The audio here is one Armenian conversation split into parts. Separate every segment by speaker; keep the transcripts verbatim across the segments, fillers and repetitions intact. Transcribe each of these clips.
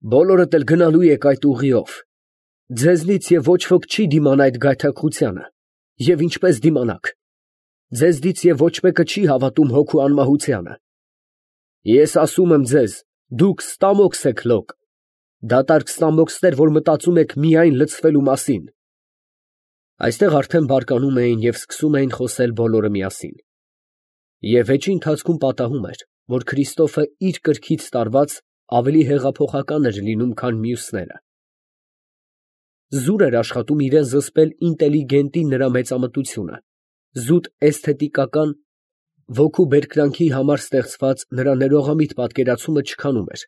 Speaker 1: բոլորդ էլ գնալու եք այդ ուղիով. ձեզնից և ոչ ոք չի դիմանա այդ գայթակղությանը, և ինչպես դիմանաք, ձեզնից և ոչ մեկը չի հավատում հոգու անմահությանը։ Ես ասում եմ ձեզ, դուք ստամոքս եք լոկ, դատարկ ստամոքսներ, որ մտածում եք միայն լցվելու մասին։ Այստեղ արդեն բարկանում էին և սկսում էին խոսել բոլորը միասին։ Եվ վեճի ընթացքում պատահում էր, որ Քրիստոֆը իր կրքից տարված ավելի հեղափոխական էր լինում, քան մյուսները։ Զուր էր աշխատում իրան զսպել ինտելիգենտի նրա մեծամտությունը, զուտ էսթետիկական, ոգու բերկրանքի համար ստեղծված նրա ներողամիտ պատկերացումը չքանում էր,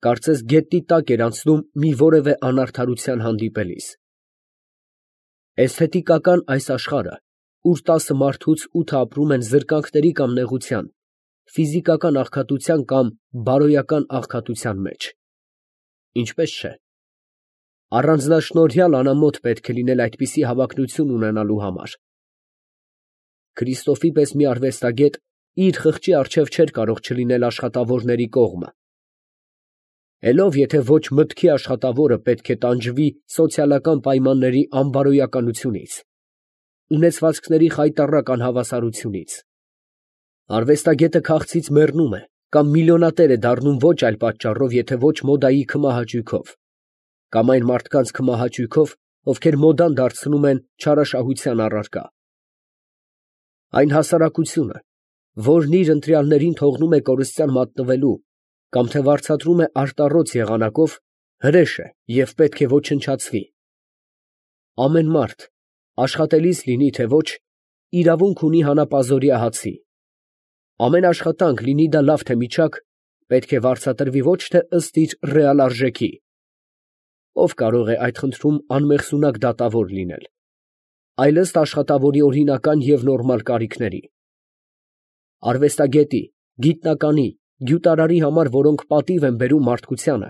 Speaker 1: կարծես գետնի տակ էր անցնում մի որևէ անարդարության հանդիպելիս։ Էսթետիկական այս աշխարհը, ուր տասը մարդուց ութը ապրում են զրկանքների կամ նեղության, ֆիզիկական աղքատության կամ բարոյական աղքատության մեջ։ Ինչպես չէ։ Առանձնաշնորհյալ անամոթ պետք է լինել այդպիսի հավակնություն ունենալու համար։ Քրիստոֆի պես մի արվեստագետ իր խղճի առջև չէր կարող չլինել աշխատավորների կողմը։ Էլ ով եթե ոչ մտքի աշխատավորը պետք է տանջվի սոցիալական պայմանների անբարոյականությունից, ունեցվածքների խայտառակ անհավասարությունից։ Արվեստագետը քաղցից մեռնում է կամ միլիոնատեր է դառնում ոչ այլ պատճառով, եթե ոչ մոդայի քմահաճույքով, կամ այն մարդկանց քմահաճույքով, ովքեր մոդան դարձնում են չարաշահության առարկա։ Այն հասարակությունը, որն իր ընտրյալներին թողնում է կորստյան մատնվելու կամ թե վարձատրում է արտառոց եղանակով, հրեշ է և պետք է ոչնչացվի։ Ամեն մարդ, աշխատելիս լինի թե ոչ, իրավունք ունի հանապազորյա հացի։ Ամեն աշխատանք, լինի դա լավ թե միջակ, պետք է վարձատրվի ոչ թե ըստ իր ռեալ արժեքի։ Ով կարող է այդ խնդրում անմեղսունակ դատավոր լինել, այլ ըստ աշխատավորի օրինական և նորմալ կարիքների։ Արվեստագետի, գիտնականի, գյուտարարի համար, որոնք պատիվ են բերում մարդկությանը,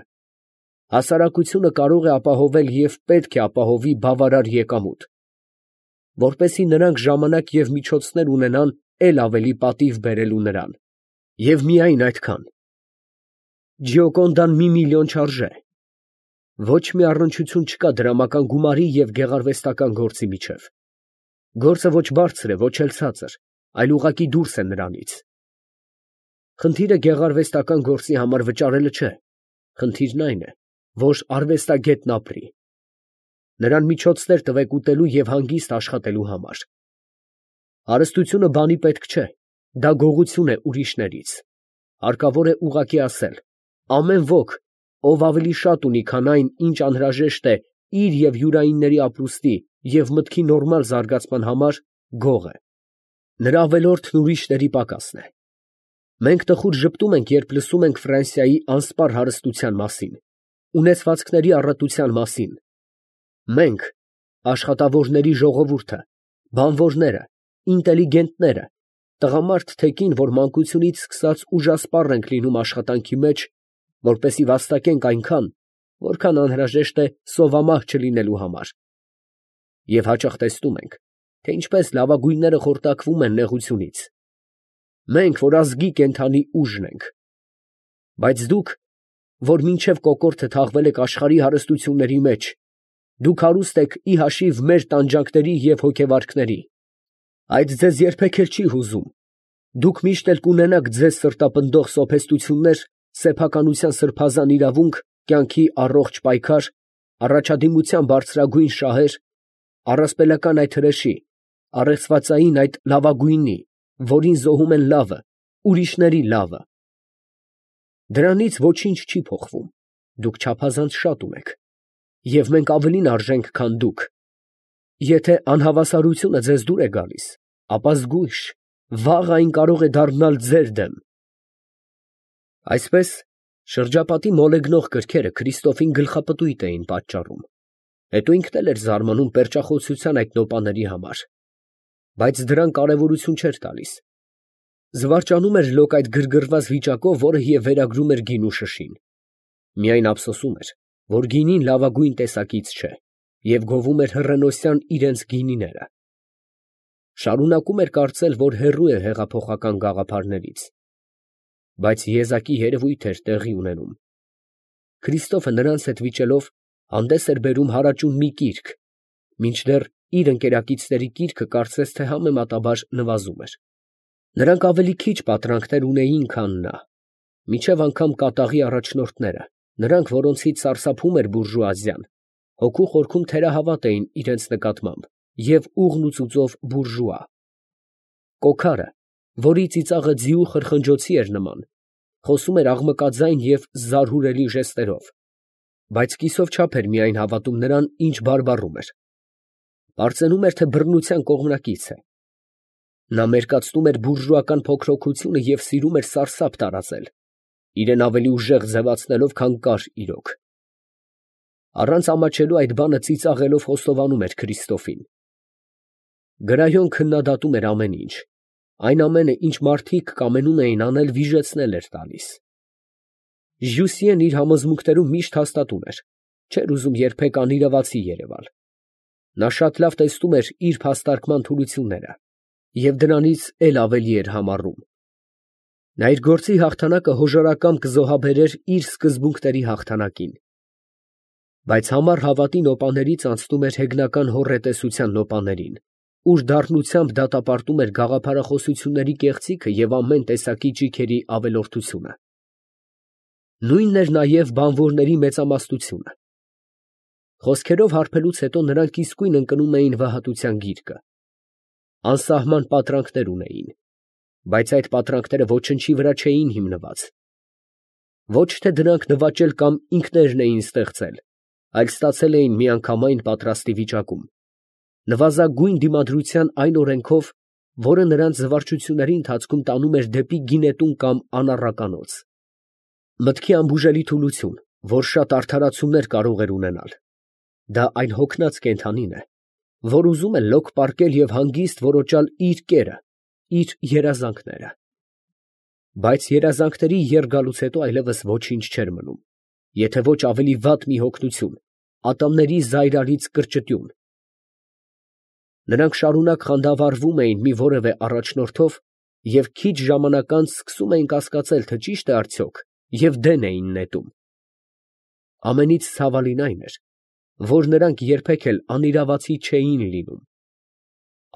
Speaker 1: հասարակությունը կարող է ապահովել և պետք է ապահովի բավարար եկամուտ, որպեսզի նրանք ժամանակ և միջոցներ ունենան էլ ավելի պատիվ բերելու նրան։ Եվ միայն այդքան։ Ջիոկոնդան մի միլիոն չարժե։ Ոչ մի առնչություն չկա դրամական գումարի և գեղարվեստական գործի միջև։ Գործը ոչ բարձր է, ոչ էլ ցածր, այլ ուղղակի դուրս է նրանից։ Խնդիրը գեղարվեստական գործի համար վճարելը չէ, խնդիրն այն է, որ արվեստագետն ապրի։ Նրան միջոցներ տվեք ուտելու և հանգիստ աշխատելու համար։ Հարստությունը բանի պետք չէ, դա գողություն է ուրիշներից։ Հարկավոր է ուղղակի ասել. ամեն ոք, ով ավելի շատ ունի, քան այն, ինչ անհրաժեշտ է իր և յուրայինների ապրուստի և մտքի նորմալ զարգացման համար, գող է։ Նրա ավելորդն ուրիշների պակասն է։ Մենք տխուր ժպտում ենք, երբ լսում ենք Ֆրանսիայի անսպառ հարստության մասին, ունեցվածքների առատության մասին։ Մենք, աշխատավորների ժողովուրդը, բանվորները, ինտելիգենտները, տղամարդ թե կին, որ մանկությունից սկսած ուժասպառ ենք լինում աշխատանքի մեջ, որպեսզի վաստակենք այնքան, որքան անհրաժեշտ է սովամահ չլինելու համար։ Եվ հաճախ տեսնում ենք, թե ինչպես լավագույնները խորտակվում են նեղությունից։ Մենք, որ ազգի կենդանի ուժն ենք։ Բայց դուք, որ մինչև կոկորդը թաղվել եք աշխարհի հարստությունների մեջ, դուք հարուստ եք ի հաշիվ մեր տանջանքների և հոգեվարքների, այդ ձեզ երբեք էլ չի հուզում։ Դուք միշտ էլ կունենաք ձեզ սրտապնդող սոփեստություններ, սեփականության սրբազան իրավունք, կյանքի առողջ պայքար, առաջադիմության բարձրագույն շահեր, առասպելական այդ հրեշի, առեղծվածային այդ լավագույնի, որին զոհում են լավը, ուրիշների լավը։ Դրանից ոչինչ չի փոխվում, դուք չափազանց շատ ունեք, և մենք ավելին արժենք, քան դուք։ Եթե անհավասարությունը ձեզ դուր է գալիս, ապա զգույշ, վաղ այն կարող է դառնալ ձեր դեմ։ Այսպես, շրջապատի մոլեգնող կրքերը Քրիստոֆին գլխապտույտ էին պատճառում, հետո ինքն էլ էր զարմանում պերճախոսության այդ նոպաների համար, բայց դրան կարևորություն չէր տալիս։ Զվարճանում էր լոկ այդ գրգռված վիճակով, որը և վերագրում էր գինու շշին։ Միայն ափսոսում էր, որ գինին լավագույն տեսակից չէ, և գովում էր հռենոսյան իրենց գինիները։ Շարունակում էր կարծել, որ հեռու է հեղափոխական գաղափարներից։ Բայց եզակի երևույթ էր տեղի ունենում։ Քրիստոֆը նրանց հետ վիճելով հանդես էր բերում հարաճուն մի կիրք, մինչդեռ իր ընկերակիցների կիրքը կարծես թե համեմատաբար նվազում էր։ Նրանք ավելի քիչ պատրանքներ ունեին, քան նա, մինչև անգամ կատաղի առաջնորդները, նրանք, որոնցից սարսափում էր բուրժուազիան, հոգու խորքում թերահավատ էին իրենց նկատմամբ և ուղն ու ծուծով բուրժուա։ Կոքարը, որի ծիծաղը ձիու խրխնջոցի էր նման, խոսում էր աղմկաձայն և զարհուրելի ժեստերով, բայց կիսով չափ էր միայն հավատում նրան, ինչ բարբառում էր. պարծենում էր, թե բռնության կողմնակից է։ Նա մերկացնում էր բուրժուական փոքրոքությունը և սիրում էր սարսափ տարածել, իրեն ավելի ուժեղ ձևացնելով, քան կար իրոք։ Առանց ամաչելու այդ բանը ծիծաղելով խոստովանում էր Քրիստոֆին։ Գրայոն քննադատում էր ամեն ինչ, այն ամենը, ինչ մարդիկ կամենում էին անել, վիժեցնել էր տալիս։ Ժյուսիեն իր համոզմունքներում միշտ հաստատուն էր, չէր ուզում երբեք անիրավացի երևալ։ Նա շատ լավ տեսնում էր իր փաստարկման թուլությունները և դրանից էլ ավելի էր համառում։ Նա իր գործի հաղթանակը հոժարակամ կզոհաբերեր իր սկզբունքների հաղթանակին։ Բայց համառ հավատի նոպաներից անցնում էր հեգնական հոռետեսության նոպաներին, ուր դառնությամբ դատապարտում էր գաղափարախոսությունների կեղծիքը և ամեն տեսակի ճիգերի ավելորդությունը։ Նույնն էր նաև բանվորների մեծամասնությունը։ Խոսքերով հարբելուց հետո նրանք իսկույն ընկնում էին վհատության գիրկը։ Անսահման պատրանքներ ունեին, բայց այդ պատրանքները ոչնչի վրա չէին հիմնված։ Ոչ թե դրանք նվաճել կամ ինքներն էին ստեղծել, այլ ստացել էին միանգամայն պատրաստի վիճակում, նվազագույն դիմադրության այն օրենքով, որը նրանց զվարճությունների ընթացքում տանում էր դեպի գինետուն կամ անառականոց։ Մտքի անբուժելի թուլություն, որ շատ արդարացումներ կարող էր ունենալ, դա այն հոգնած կենդանին է, որ ուզում է լոկ պառկել և հանգիստ որոճալ իր կերը, իր երազանքները։ Բայց երազանքների եռգալուց հետո այլևս ոչինչ չէր մնում, եթե ոչ ավելի վատ մի հոգնություն, ատամների զայրալից կրճտյուն։ Նրանք շարունակ խանդավառվում էին մի որևէ առաջնորդով և քիչ ժամանակ անց սկսում էին կասկածել, թե ճի՞շտ է արդյոք, և դեն էին նետում։ Ամենից ցավալին այն էր, որ նրանք երբեք էլ անիրավացի չէին լինում։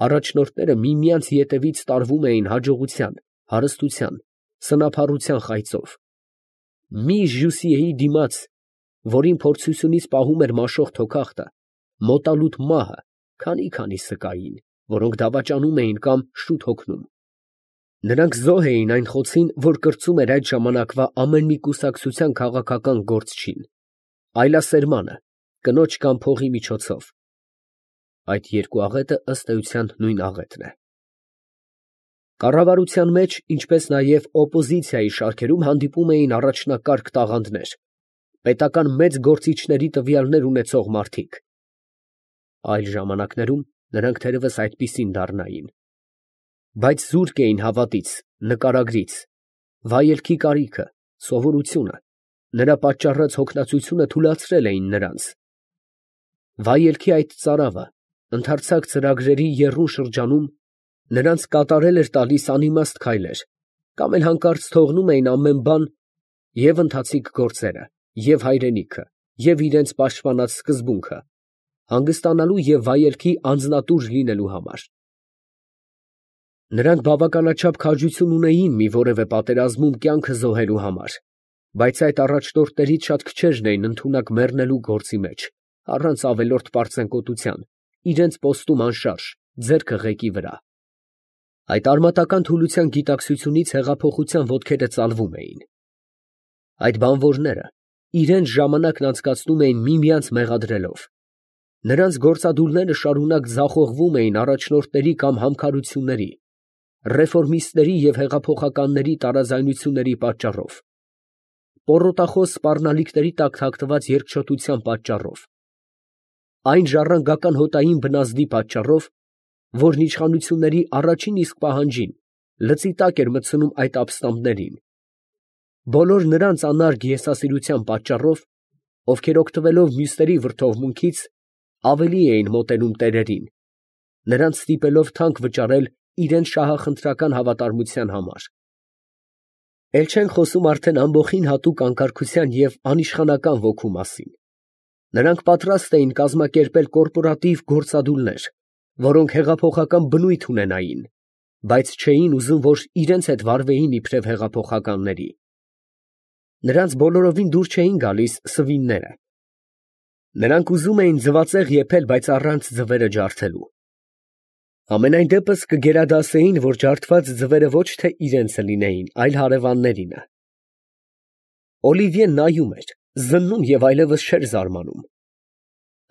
Speaker 1: Առաջնորդները միմյանց ետևից տարվում էին հաջողության, հարստության, սնափառության խայծով։ Մի Ժյուսիեի դիմաց, որին փորձությունից պահում էր մաշող թոքախտը, մոտալուտ մահը, քանի՛֊քանի սկային, որոնք դավաճանում էին կամ շուտ հոգնում։ Նրանք զոհ էին այն խոցին, որ կրծում էր այդ ժամանակվա ամեն մի կուսակցության քաղաքական գործչին, այլասերմանը, կնոջ կամ փողի միջոցով։ Այդ երկու աղետը ըստ էության նույն աղետն է։ Կառավարության մեջ, ինչպես նաև օպոզիցիայի շարքերում հանդիպում էին առաջնակարգ տաղանդներ, պետական մեծ գործիչների տվյալներ ունեցող մարդիկ։ Այլ ժամանակներում նրանք թերևս այդպիսին դառնային։ Բայց զուրկ էին հավատից, նկարագրից, վայելքի կարիքը, սովորությունը, նրա պատճառած հոգնածությունը թուլացրել էին նրանց։ Վայելքի այդ ծարավը, ընդարձակ ծրագրերի եռուն շրջանում, նրանց կատարել էր տալիս անիմաստ քայլեր, կամ էլ հանկարծ թողնում էին ամեն բան, և ընթացիկ գործերը, և հայրենիքը, և իրենց պաշտպանած սկզբունքը, հանգստանալու և վայելքի անձնատուր լինելու համար։ Նրանք բավականաչափ քաջություն ունեին մի որևէ պատերազմում կյանքը զոհելու համար, բայց այդ առաջնորդներից շատ քչերն էին ընդունակ մեռնելու գործի մեջ, առանց ավելորդ պարծենկոտության, իրենց պոստում անշարժ, ձեռքը ղեկի վրա։ Այդ արմատական թուլության գիտակցությունից հեղափոխության ոտքերը ծալվում էին։ Այդ բանվորները իրենց ժամանակն անցկացնում էին միմյանց մեղադրելով։ Նրանց գործադուլները շարունակ ձախողվում էին առաջնորդների կամ համքարությունների, ռեֆորմիստների և հեղափոխականների տարաձայնությունների պատճառով, պոռոտախոս սպառնալիքների տակ թաքնված երկչոտության պատճառով, այն ժառանգական հոտային բնազդի պատճառով, որն իշխանությունների առաջին իսկ պահանջին լծի տակ էր մտցնում այդ ապստամբներին, բոլոր նրանց անարգ եսասիրության պատճառով, ովքեր օգտվելով մյուսների վրդովմունքից, ավելի էին մոտենում տերերին, նրանց ստիպելով թանկ վճարել իրենց շահախնդրական հավատարմության համար։ Էլ չենք խոսում արդեն ամբոխին հատուկ անկարգության և անիշխանական ոգու մասին. նրանք պատրաստ էին կազմակերպել կորպորատիվ գործադուլներ, որոնք հեղափոխական բնույթ ունենային, բայց չէին ուզում, որ իրենց հետ վարվեին իբրև հեղափոխականների. նրանց բոլորովին դուր չէին գալիս սվինները. նրանք ուզում էին ձվածեղ եփել, բայց առանց ձվերը ջարդելու. ամենայն դեպս կգերադասեին, որ ջարդված ձվերը ոչ թե իրենցը լինեին, այլ հարևաններինը։ Օլիվիեն նայում էր, զննում և այլևս չէր զարմանում.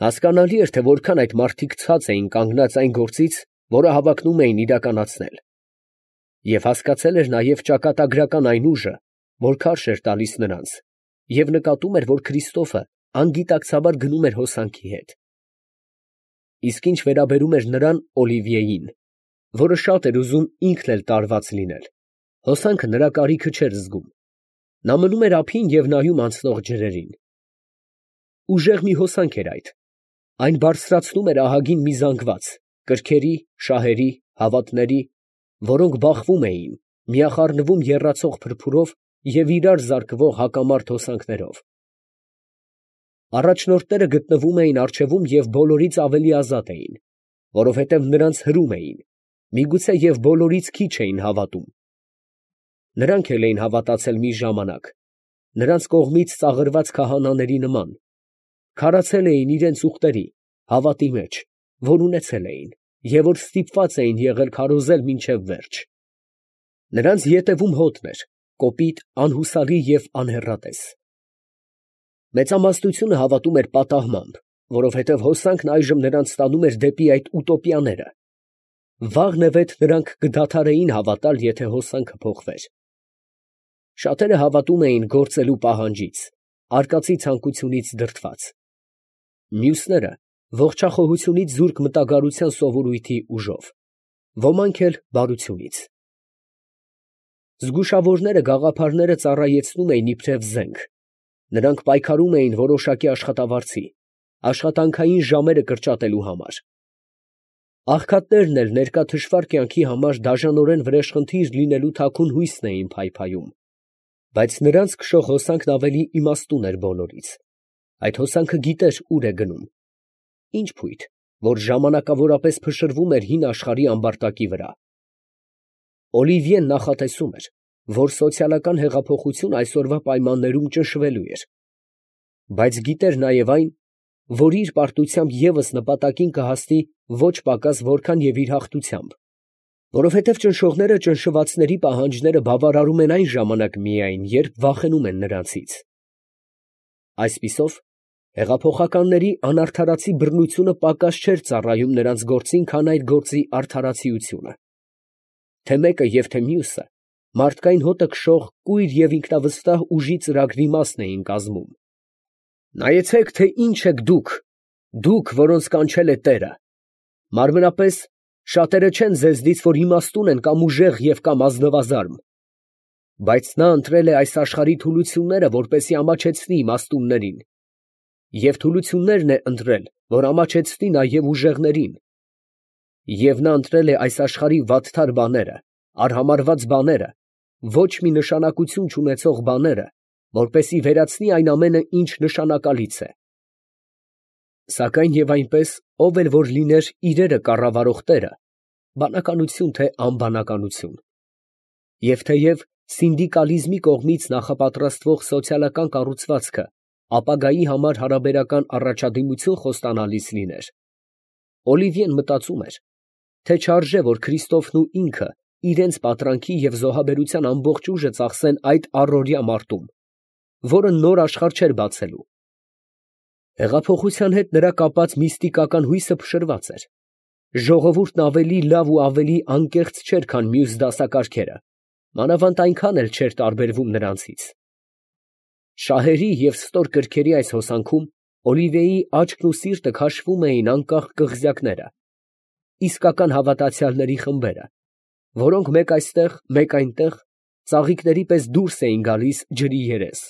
Speaker 1: հասկանալի էր, թե որքան այդ մարդիկ ցած էին կանգնած այն գործից, որը հավակնում էին իրականացնել, և հասկացել էր նաև ճակատագրական այն ուժը, որ քարշ էր տալիս նրանց, և նկատում էր, որ Քրիստոֆը անգիտակցաբար գնում էր հոսանքի հետ։ Իսկ ինչ վերաբերում էր նրան Օլիվիեին, որը շատ էր ուզում ինքն էլ տարված լինել, հոսանքը նրա կարիքը չէր զգում. նա մնում էր ափին և նայում անցնող ջրերին։ Ուժեղ մի հոսանք էր այդ. այն բարձրացնում էր ահագին մի զանգված, կրքերի, շահերի, հավատների, որոնք բախվում էին, միախառնվում եռացող փրփուրով և իրար զարկվող հակամարտ հոսանքներով։ Առաջնորդները գտնվում էին առջևում և բոլորից ավելի ազատ էին, որովհետև նրանց հրում էին, միգուցե և բոլորից քիչ էին հավատում։ Նրանք էլ էին հավատացել մի ժամանակ, նրանց կողմից ծաղրված քահանաների նման, քարացել էին իրենց ուխտերի, հավատի մեջ, որ ունեցել էին, և որ ստիպված էին եղել քարոզել մինչև վերջ։ Նրանց ետևում հոտն էր, կոպիտ, անհուսալի և անհեռատես։ Մեծամասնությունը հավատում էր պատահմամբ, որովհետև հոսանքն այժմ նրանց տանում էր դեպի այդ ուտոպիաները։ Վաղնևեթ նրանք կդադարեին հավատալ, եթե հոսանքը փոխվեր։ Շատերը հավատում էին գործելու պահանջից, արկածի ցանկությունից դրդված։ Մյուսները ողջախոհությունից զուրկ մտագարության սովորույթի ուժով, ոմանք էլ բարությունից։ Զգուշավորները գաղափարները ծառայեցնում էին իբրև զենք, նրանք պայքարում էին որոշակի աշխատավարձի, աշխատանքային ժամերը կրճատելու համար։ Աղքատներն էլ ներկա թշվառ կյանքի համար դաժանորեն վրեժխնդիր լինելու թաքուն հույսն էին փայփայում, բայց նրանց քշող հոսանքն ավելի իմաստուն էր բոլորից. այդ հոսանքը գիտեր ուր է գնում, ինչ փույթ, որ ժամանակավորապես փշրվում էր հին աշխարհի ամբարտակի վրա։ Օլիվիեն նախատեսում էր, որ սոցիալական հեղափոխություն այսօրվա պայմաններում ճնշվելու էր, բայց գիտեր նաև այն, որ իր պարտությամբ ևս նպատակին կհասնի ոչ պակաս որքան և իր հաղթությամբ, որովհետև ճնշողները ճնշվածների պահանջները բավարարում են այն ժամանակ միայն, երբ վախենում են նրանցից։ Այսպիսով, հեղափոխականների անարդարացի բռնությունը պակաս չէր ծառայում նրանց գործին, քան այդ գործի արդարացիությունը։ Թե մեկը և թե մյուսը մարդկային հոտը քշող կույր և ինքնավստահ ուժի ծրագրի մասն էին կազմում։ Նայեցե՛ք, թե ինչ եք դուք, դուք, որոնց կանչել է Տերը. մարմնապես շատերը չեն ձեզնից, որ իմաստուն են կամ ուժեղ և կամ ազնվազարմ, բայց նա ընտրել է այս աշխարհի թուլությունները, որպեսզի ամաչեցնի իմաստուններին, և թուլություններն է ընտրել, որ ամաչեցնի նաև ուժեղներին, և նա ընտրել է այս աշխարհի վատթար բաները, արհամարհված բաները, ոչ մի նշանակություն չունեցող բաները, որպեսզի վերացնի այն ամենը, ինչ նշանակալից է։ Սակայն և այնպես, ով էլ որ լիներ իրերը կառավարող Տերը, բանականություն թե անբանականություն, և թեև սինդիկալիզմի կողմից նախապատրաստվող սոցիալական կառուցվածքը ապագայի համար հարաբերական առաջադիմություն խոստանալիս լիներ, Օլիվիեն մտածում էր, թե չարժե, որ Քրիստոֆն ու ինքը իրենց պատրանքի և զոհաբերության ամբողջ ուժը ծախսեն այդ առօրյա մարտում, որը նոր աշխարհ չէր բացելու։ Հեղափոխության հետ նրա կապած միստիկական հույսը փշրված էր։ Ժողովուրդն ավելի լավ ու ավելի անկեղծ չէր, քան մյուս դասակարգերը, մանավանդ այնքան էլ չէր տարբերվում նրանցից։ Շահերի և ստոր կրքերի այս հոսանքում Օլիվիեի աչքն ու սիրտը քաշվում էին անկախ կղզյակները, իսկական հավատացյալների խմբերը, որոնք մեկ այստեղ, մեկ այնտեղ ծաղիկների պես դուրս էին գալիս ջրի երես։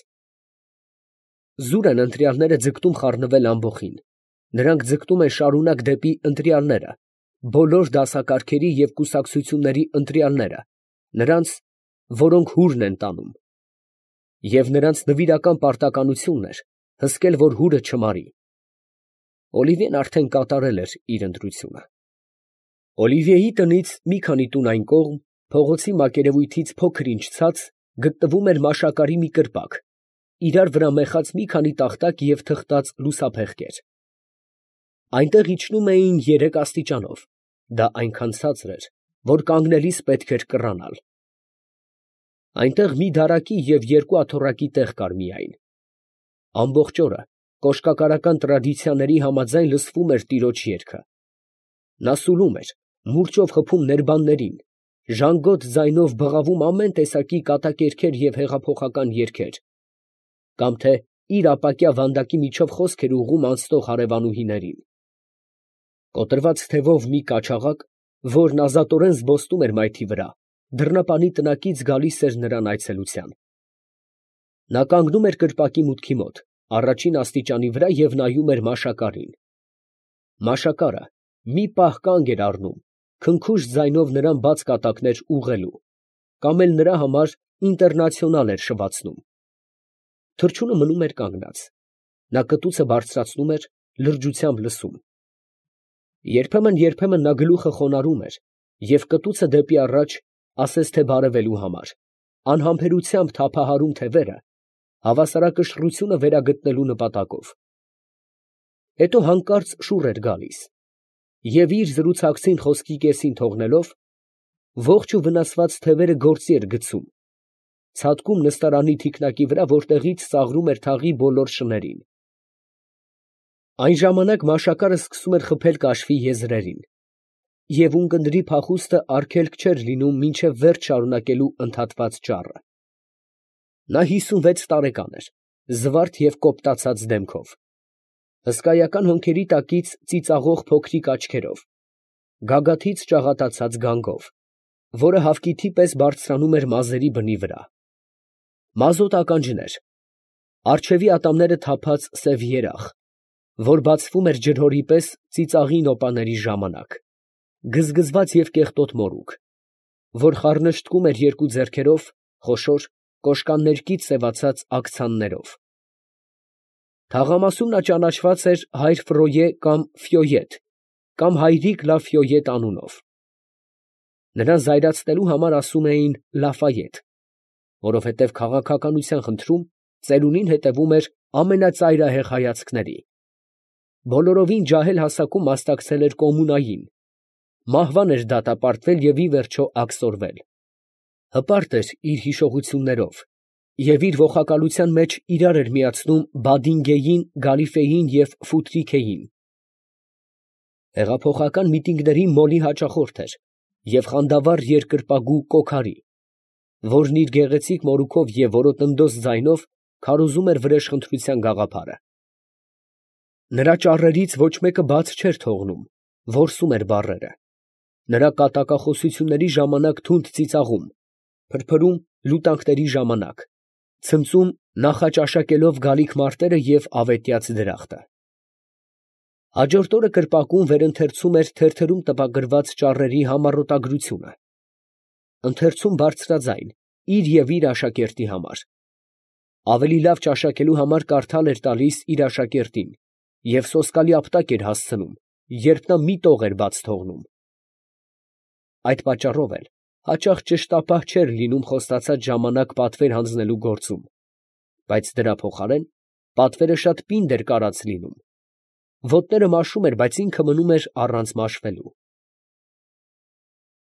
Speaker 1: Զուր են ընտրյալները ձգտում խառնվել ամբոխին, նրանք ձգտում են շարունակ դեպի ընտրյալները, բոլոր դասակարգերի և կուսակցությունների ընտրյալները, նրանց, որոնք հուրն են տանում, և նրանց նվիրական պարտականությունն էր հսկել, որ հուրը չմարի։ Օլիվիեն արդեն կատարել էր իր ընտրությունը։ Օլիվիեի տնից մի քանի տուն այն կողմ, փողոցի մակերևույթից փոքր ինչ ցած, գտնվում էր մաշակարի մի կրպակ, իրար վրա մեխած մի քանի տախտակ և թղթած լուսափեղկեր։ Այնտեղ իջնում էին երեք աստիճանով, դա այնքան ցածր էր, որ կանգնելիս պետք էր կռանալ։ Այնտեղ մի դարակի և երկու աթոռակի տեղ կար միայն։ Ամբողջ օրը կոշկակարական տրադիցիաների համաձայն լսվում էր տիրոջ երգը։ Նա սուլում էր, մուրճով խփում ներբաններին, ժանգոտ ձայնով բղավում ամեն տեսակի կատակերգեր և հեղափոխական երգեր, կամ թե իր ապակյա վանդակի միջով խոսք էր ուղղում անցնող հարևանուհիներին։ Կոտրված թևով մի կաչաղակ, որն ազատորեն զբոսնում էր մայթի վրա, դռնապանի տնակից գալիս էր նրան այցելության։ Նա կանգնում էր կրպակի մուտքի մոտ, առաջին աստիճանի վրա և նայում էր մաշակարին։ Մաշակարը մի պահ կանգ էր առնում, քնքուշ ձայնով նրան բաց կատակներ ուղղելու, կամ էլ նրա համար ինտերնացիոնալ էր շվացնում։ Թռչունը մնում էր կանգնած, նա կտուցը բարձրացնում էր, լրջությամբ լսում։ Երբեմն֊երբեմն նա գլուխը խոնարհում էր և կտուցը դեպի առաջ, ասես թե բարևելու համար, անհամբերությամբ թափահարում թևերը, հավասարակշռությունը վերագտնելու նպատակով։ Հետո հանկարծ շուռ էր գալիս, և իր զրուցակցին խոսքի կեսին թողնելով, ողջ ու վնասված թևերը գործի էր գցում, ցատկում նստարանի թիկնակի վրա, որտեղից ծաղրում էր թաղի բոլոր շներին։ Այն ժամանակ մաշակարը սկսում էր խփել կաշվի եզրերին, և ունկնդրի փախուստը արգելք չէր լինում մինչև վերջ շարունակելու ընդհատված ճառը։ Նա հիսունվեց տարեկան էր, զվարթ և կոպտացած դեմքով, հսկայական հոնքերի տակից ծիծաղող փոքրիկ աչքերով, գագաթից ճաղատացած գանգով, որը հավկիթի պես բարձրանում էր մազերի բնի վրա, մազոտ ականջներ, առջևի ատամները թափած սև երախ, որ բացվում էր ջրհորի պես ծիծաղի նոպաների ժամանակ, գզգզված և կեղտոտ մորուք, որ խառնշտկում էր երկու ձեռքերով, խոշոր, կոշկաններկից սևացած աքցաններով։ Թաղամասում նա ճանաչված էր հայր Ֆրոյե կամ Ֆյոյետ կամ հայրիկ Լա Ֆյոյետ անունով։ Նրան զայրացնելու համար ասում էին Լաֆայետ, որովհետև քաղաքականության խնդրում ծերունին հետևում էր ամենածայրահեղ հայացքների։ Բոլորովին ջահել հասակում մասնակցել էր կոմունային, մահվան էր դատապարտվել և ի վերջո աքսորվել։ Հպարտ էր իր հիշողություններով և իր ոխակալության մեջ իրար էր միացնում Բադինգեին, Գալիֆեին և Ֆութրիքեին։ Հեղափոխական միտինգների մոլի հաճախորդ էր և խանդավառ երկրպագու Կոքարի, որն իր գեղեցիկ մորուքով և որոտնդոս ձայնով քարոզում էր վրեժխնդրության գաղափարը։ Նրա ճառերից ոչ մեկը բաց չէր թողնում, որսում էր բառերը, նրա կատակախոսությունների ժամանակ թունդ ծիծաղում, փրփրում լուտանքների ժամանակ, ցնծում նախաճաշակելով գալիք մարտերը և ավետյաց դրախտը։ Հաջորդ օրը կրպակում վերընթերցում էր թերթերում տպագրված ճառերի համառոտագրությունը, ընթերցում բարձրաձայն իր և իր աշակերտի համար, ավելի լավ ճաշակելու համար կարդալ էր տալիս իր աշակերտին և սոսկալի ապտակ էր հասցնում, երբ նա մի տող էր բաց թողնում։ Այդ պատճառով էլ հաճախ ճշտապահ չէր լինում խոստացած ժամանակ պատվեր հանձնելու գործում, բայց դրա փոխարեն պատվերը շատ պինդ էր կարած լինում, ոտները մաշում էր, բայց ինքը մնում էր առանց մաշվելու։